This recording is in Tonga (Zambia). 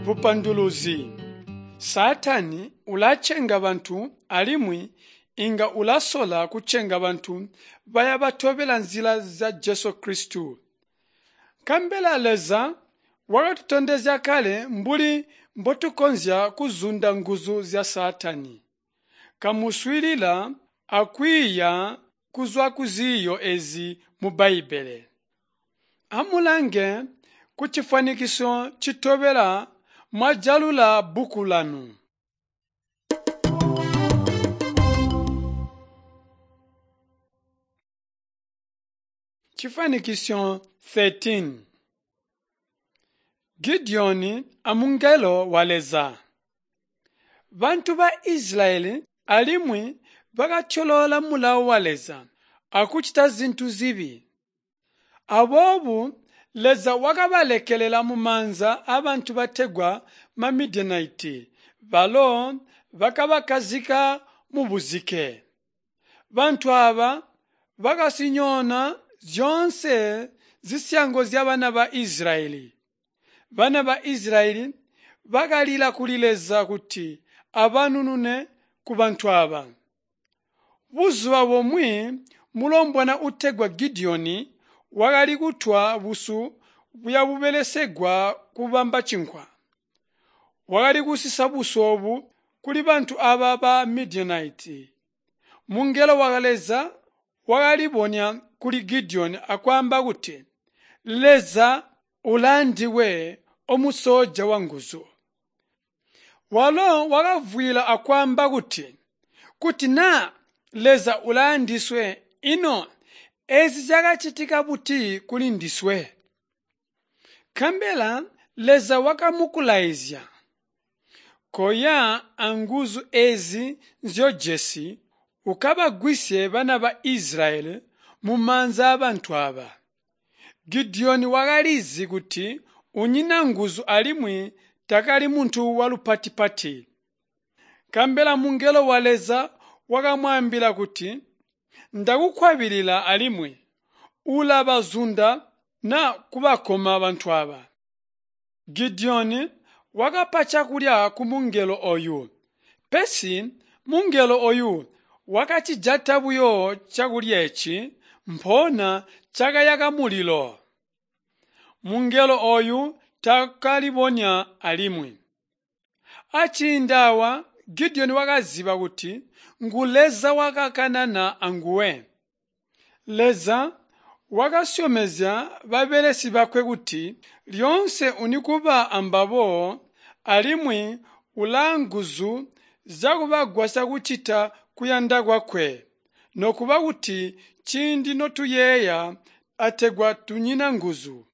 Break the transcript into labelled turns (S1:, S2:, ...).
S1: Bupanduluzi: Saatani ulacenga bantu alimwi inga ulasola kucenga bantu baya batobela nzila zya Jesu Kristo. Nkabela Leza wakatutondezya kale mbuli mbotukonzya kuzunda nguzu zya Saatani. Kamuswiilila akwiiya kuzwa kuziiyo ezi mu Bbaibbele. Amulange kucifwanikiso citobela mwajalula bbuku lanu. Chifanikisyo 13. Gideoni amungelo wa Leza. Bantu ba Isilayeli alimwi bakatyoloola mulawo wa Leza akucita zintu zibi. Aboobo Leza wakabalekelela mumaanza aabantu bategwa maMidianite balo bakabakkazika mubuzike. Bantu aaba bakazinyoona zyoonse zisyango zyabana ba Isilayeli. Bana ba Isilayeli bakalila kuli Leza kuti abanunune kubantu aaba. Buzuba bumwi mulombwana uutegwa Gideoni wakali kutwa busu buyabubelesegwa kubamba cinkwa. Wakali kusisa busu oobu kuli bantu aaba ba Midianite. Mungelo wa Leza wakalibonya kuli Gideoni akwaamba kuti, Leza ulaandiwe omusooja wanguzu. Walo wakavwiila akwaamba kuti, kuti naa Leza ulaandiswe ino eezi zyakacitika buti kuli ndiswe? Nkabela Leza wakamukulaizya, koya anguzu eezi nzyojesi ukabagwisye bana ba Isilayeli mumaanza aabantu aaba. Gideoni wakalizi kuti unyina nguzu alimwi taakali muntu walupati-pati. Nkabela mungelo wa Leza wakamwaambila kuti, ndakukwabilila alimwi ulabazunda na kubakoma bantu aaba. Gideoni wakapa cakulya kumungelo ooyu, pesi mungelo ooyu wakacijata buyo cakulya eeci, mpoona cakayaka mulilo. Mungelo ooyu taakalibonya alimwi. Aciindi aawa Gideoni wakaziba kuti ngu Leza wakakanana anguwe. Leza wakasyomezya babelesi bakwe kuti lyoonse unikuba ambabo alimwi ulaanguzu zyakubagwasya kucita kuyanda kwakwe, nokuba kuti ciindi notuyeeya ategwa tunyina nguzu.